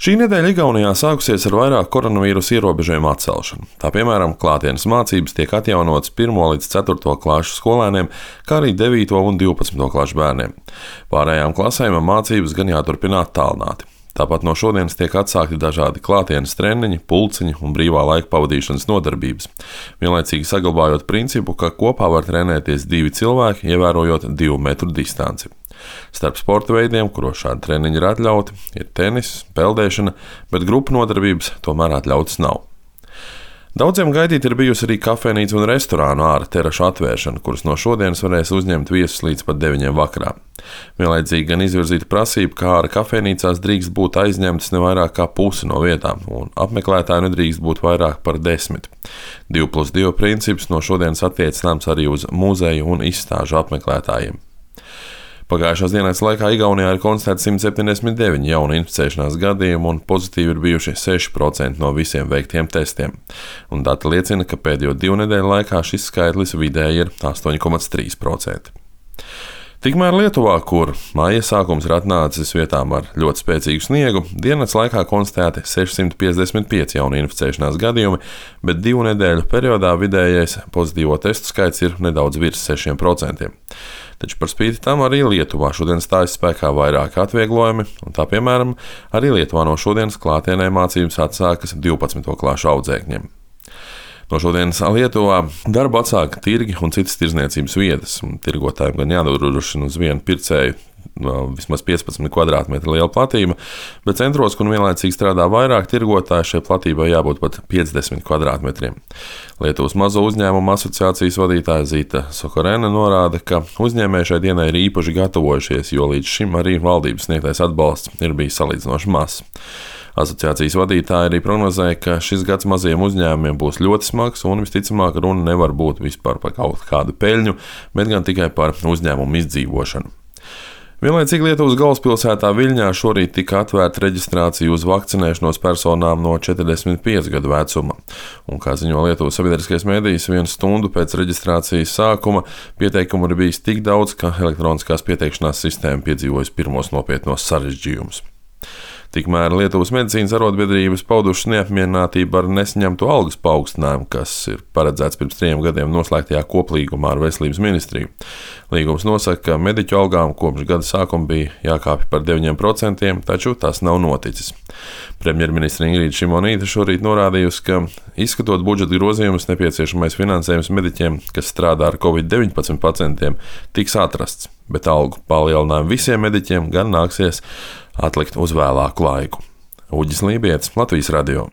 Šī nedēļa Igaunijā sākusies ar vairāk koronavīrusa ierobežojumu atcelšanu. Tā piemēram, klātienes mācības tiek atjaunotas 1. līdz 4. klases skolēniem, kā arī 9. un 12. klases bērniem. Pārējām klasēm mācības gan jāturpina attālināti. Tāpat no šodienas tiek atsākti dažādi klātienes treniņi, pulciņi un brīvā laika pavadīšanas nodarbības, vienlaicīgi saglabājot principu, ka kopā var trenēties 2 cilvēki, ievērojot 2 metru distanci. Starp sporta veidiem, kuros šādi treniņi ir atļauti, ir tenis, peldēšana, bet grupu nodarbības tomēr atļautas nav. Daudziem gaidīt ir bijusi arī kafejnīca un restorānu ārā terašu atvēršana, kuras no šodienas varēs uzņemt viesus līdz pat 9 vakarā. Vienlaicīgi gan izvirzīta prasība, ka ārā kafejnīcās drīkst būt aizņemtas ne vairāk kā pusi no vietām, un apmeklētāju nedrīkst būt vairāk par 10. 2+2 princips no šodienas attiecināms arī uz muzeju un izstāžu apmeklētājiem. Pagājušās dienas laikā Igaunijā ir konstatēti 179 jauni inficēšanās gadījumi un pozitīvi ir bijuši 6% no visiem veiktiem testiem. Un dati liecina, ka pēdējo 2 nedēļu laikā šis skaitlis vidēji ir 8,3%. Tikmēr Lietuvā, kur māja sākums ir atnācis vietām ar ļoti spēcīgu sniegu, dienas laikā konstatēti 655 jauni inficēšanās gadījumi, bet 2 nedēļu periodā vidējais pozitīvo testu skaits ir nedaudz virs 6%. Taču par spīti tam arī Lietuvā šodien stājas spēkā vairāki atvieglojumi, un tā piemēram arī Lietuvā no šodienas klātienē mācības atsākas 12. klašu audzēkņiem. No šodienas Lietuvā darbu atsāka tirgi un citas tirdzniecības vietas, un tirgotājiem gan jādodrošina uz vienu pircēju vismaz 15 kvadrātmetru liela platība, bet centros, kur vienlaicīgi strādā vairāk tirgotāji, šai platībai jābūt pat 50 kvadrātmetriem. Lietuvas mazo uzņēmumu asociācijas vadītāja Zita Sokorena norāda, ka uzņēmēji šai dienai ir īpaši gatavojušies, jo līdz šim arī valdības sniegtais atbalsts ir bijis salīdzinoši mazs. Asociācijas vadītāja arī prognozēja, ka šis gads mazajiem uzņēmumiem būs ļoti smags un visticamāk runa nevar būt vispār par kaut kādu peļņu, bet gan tikai par uzņēmumu izdzīvošanu. Vienlaicīgi Lietuvas galvaspilsētā Viļņā šorīt tika atvērta reģistrācija uz vakcinēšanos personām no 45 gadu vecuma. Un, kā ziņo Lietuvas sabiedriskais medijs, 1 stundu pēc reģistrācijas sākuma pieteikumu ir bijis tik daudz, ka elektroniskās pieteikšanās sistēma piedzīvojusi pirmos nopietnos sarežģījumus. Tikmēr Lietuvas medicīnas arotbiedrības paudušas neapmierinātību ar nesaņemto algas paaugstinājumu, kas ir paredzēts pirms 3 gadiem noslēgtajā koplīgumā ar Veselības ministriju. Līgums nosaka, ka mediķu algām kopš gada sākuma bija jākāpj par 9%, taču tas nav noticis. Premjerministre Ingrīda Šimonīte šorīt norādījusi, ka, izskatot budžeta grozījumus, nepieciešamais finansējums mediķiem, kas strādā ar Covid-19 pacientiem, tiks atrasts, bet algu palielinājumu visiem mediķiem gan nāksies atlikt uz vēlāku laiku. Uģis Lībietis, Latvijas radio.